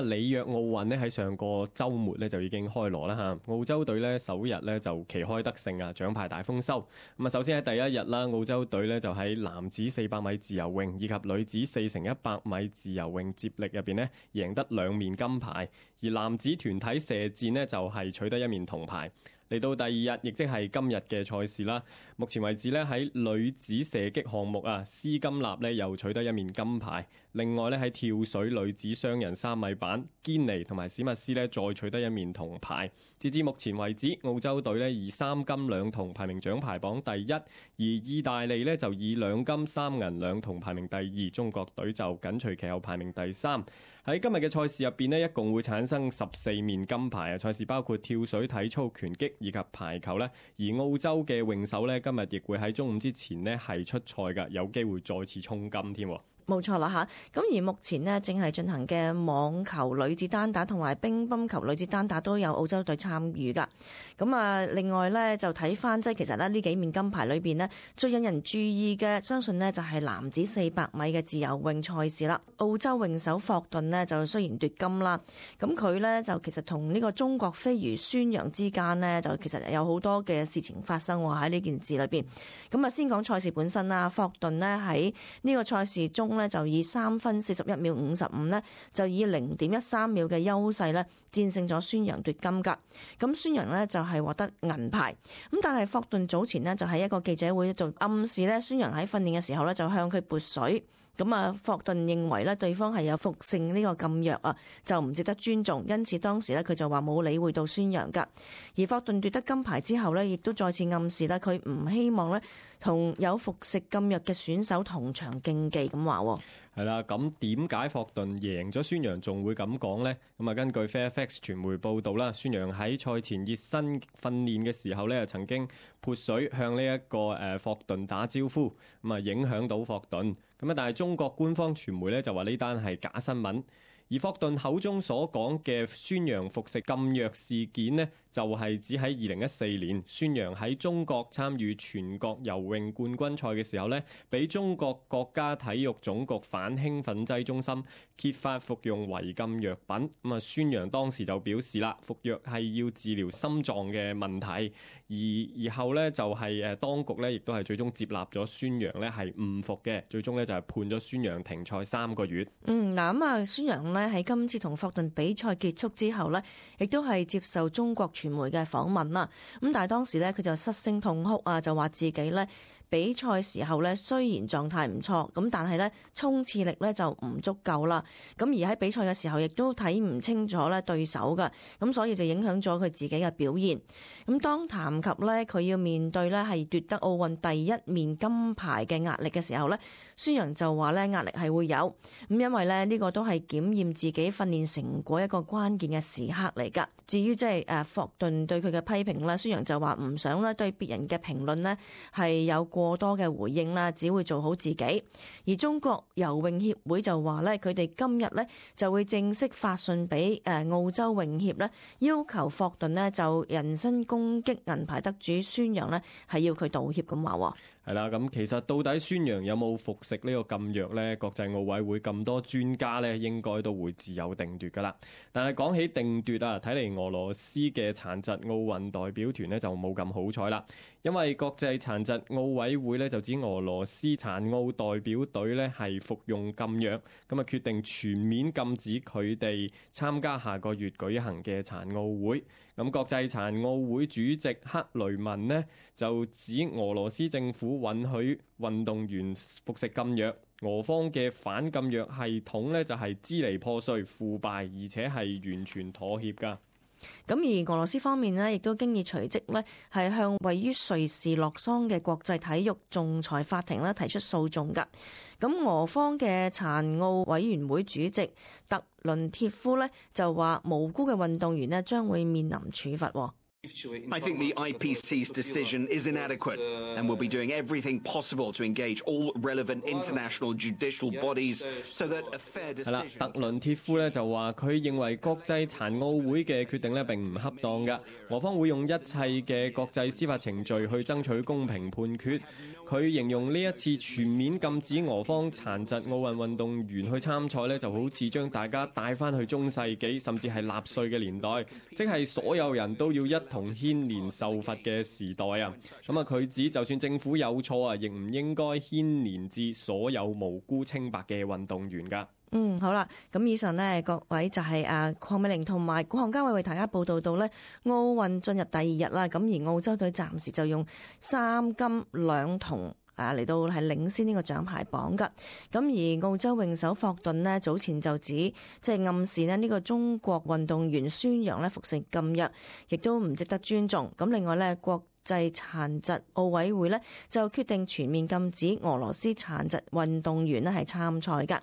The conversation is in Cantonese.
里約奧運咧喺上個週末咧就已經開鑼啦嚇，澳洲隊咧首日咧就旗開得勝啊，獎牌大豐收。咁啊，首先喺第一日啦，澳洲隊咧就喺男子400米自由泳以及女子4×100米自由泳接力入邊咧贏得2面金牌，而男子團體射箭呢就係取得1面銅牌。嚟到第二日，亦即係今日嘅賽事啦。目前為止咧，喺女子射擊項目啊，施金納咧又取得1面金牌。另外咧喺跳水女子雙人3米板，堅尼同埋史密斯咧再取得1面銅牌。截至目前為止，澳洲隊咧以3金2銅排名獎牌榜第一，而意大利咧就以2金3銀2銅排名第二，中國隊就緊隨其後排名第三。喺今日嘅賽事入邊咧，一共會產生14面金牌啊！賽事包括跳水、體操、拳擊以及排球咧，而澳洲嘅泳手咧今日亦會喺中午之前咧係出賽㗎，有機會再次衝金添。冇錯啦嚇，咁而目前呢，正係進行嘅網球女子單打同埋乒乓球女子單打都有澳洲隊參與㗎。咁啊，另外呢，就睇翻即係其實呢幾面金牌裏邊呢，最引人注意嘅，相信呢就係男子400米嘅自由泳賽事啦。澳洲泳手霍頓呢，就雖然奪金啦，咁佢呢，就其實同呢個中國飛魚孫楊之間呢，就其實有好多嘅事情發生喎喺呢件事裏邊。咁啊，先講賽事本身啦，霍頓呢喺呢個賽事中呢，就以3分41秒55呢，就以0.13秒嘅優勢呢戰勝咗孫楊奪金㗎。咁孫楊呢，就係獲得銀牌。咁但係霍頓早前呢，就喺一個記者會度暗示呢，孫楊喺訓練嘅時候呢，就向佢潑水。咁啊，霍頓認為咧對方係有服性呢個禁藥啊，就唔值得尊重，因此當時咧佢就話冇理會到孫楊噶。而霍頓奪得金牌之後咧，亦都再次暗示咧佢唔希望咧同有服食禁藥嘅選手同場競技咁話。係啦，咁點解霍頓贏咗孫楊仲會咁講呢？咁啊，根據 Fairfax 傳媒報道啦，孫楊喺賽前熱身訓練嘅時候咧，曾經潑水向呢一個霍頓打招呼，咁啊影響到霍頓。咁啊，但係中國官方傳媒咧就話呢單係假新聞。而霍頓口中所講嘅孫楊服食禁藥事件呢，就係指喺2014年，孫楊喺中國參與全國游泳冠軍賽嘅時候呢，俾中國國家體育總局反興奮劑中心揭發服用違禁藥品。咁啊，孫楊當時就表示啦，服藥係要治療心臟嘅問題，而後呢，就係當局呢亦都係最終接納咗孫楊呢係誤服嘅，最終呢，就係判咗孫楊停賽3個月。嗱咁啊，孫楊喺今次同霍頓比賽結束之後呢，亦都係接受中國傳媒嘅訪問啦。咁但係當時呢，佢就失聲痛哭啊，就話自己呢比賽時候呢，雖然狀態唔錯，咁但係呢衝刺力呢就唔足夠啦。咁而喺比賽嘅時候，亦都睇唔清楚呢對手㗎，咁所以就影響咗佢自己嘅表現。咁當談及呢，佢要面對呢係奪得奧運第1面金牌嘅壓力嘅時候呢，孫楊就話呢壓力係會有，咁因為呢個都係檢驗自己訓練成果一個關鍵嘅時刻嚟㗎。至於即係霍頓對佢嘅批評呢，孫楊就話唔想呢對別人嘅評論呢係有過多嘅回應啦，只會做好自己。而中國游泳協會就話呢，佢哋今日呢就會正式發信俾澳洲泳協呢，要求霍頓呢就人身攻擊銀牌得主孫楊呢係要佢道歉咁話。係啦，咁其實到底孫楊有冇服食呢個禁藥呢？國際奧委會咁多專家呢，應該都會自有定奪噶啦。但係講起定奪啊，睇嚟俄羅斯嘅殘疾奧運代表團呢就冇咁好彩啦，因為國際殘疾奧委會呢就指俄羅斯殘奧代表隊呢係服用禁藥，咁啊決定全面禁止佢哋參加下個月舉行嘅殘奧會。咁國際殘奧會主席克雷文呢就指俄羅斯政府允許運動員服食禁藥，俄方嘅反禁藥系統呢就係支離破碎、腐敗，而且係完全妥協㗎。咁而俄羅斯方面呢，亦都經已隨即呢係向位於瑞士洛桑嘅國際體育仲裁法庭呢提出訴訟㗎。咁俄方嘅殘奧委員會主席特倫鐵夫呢就話無辜嘅運動員呢將會面臨處罰。I think the IPC's decision is inadequate and will be doing everything possible to engage all relevant international judicial bodies so that a fair decision。 係啦，特倫鐵夫咧就話佢認為國際殘奧會嘅決定咧並唔恰當㗎，俄方會用一切嘅國際司法程序去爭取公平判決。佢形容呢一次全面禁止俄方殘疾奧運運動員去參賽呢，就好似將大家帶翻去中世紀甚至係納粹嘅年代，即係所有人都要一同牽連受罰嘅時代啊！咁啊，佢指就算政府有錯啊，亦唔應該牽連至所有無辜清白嘅運動員㗎。好啦，咁以上呢，各位就係鄺美玲同埋古漢嘉偉為大家報道到呢奧運進入第2日啦，咁而澳洲隊暫時就用3金2銅嚟到係領先呢個獎牌榜㗎。咁而澳洲泳手霍頓呢，早前就指即係暗示呢個中國運動員宣揚呢服食禁藥，亦都唔值得尊重。咁另外呢，國際殘疾奧委會呢，就決定全面禁止俄羅斯殘疾運動員呢係參賽㗎。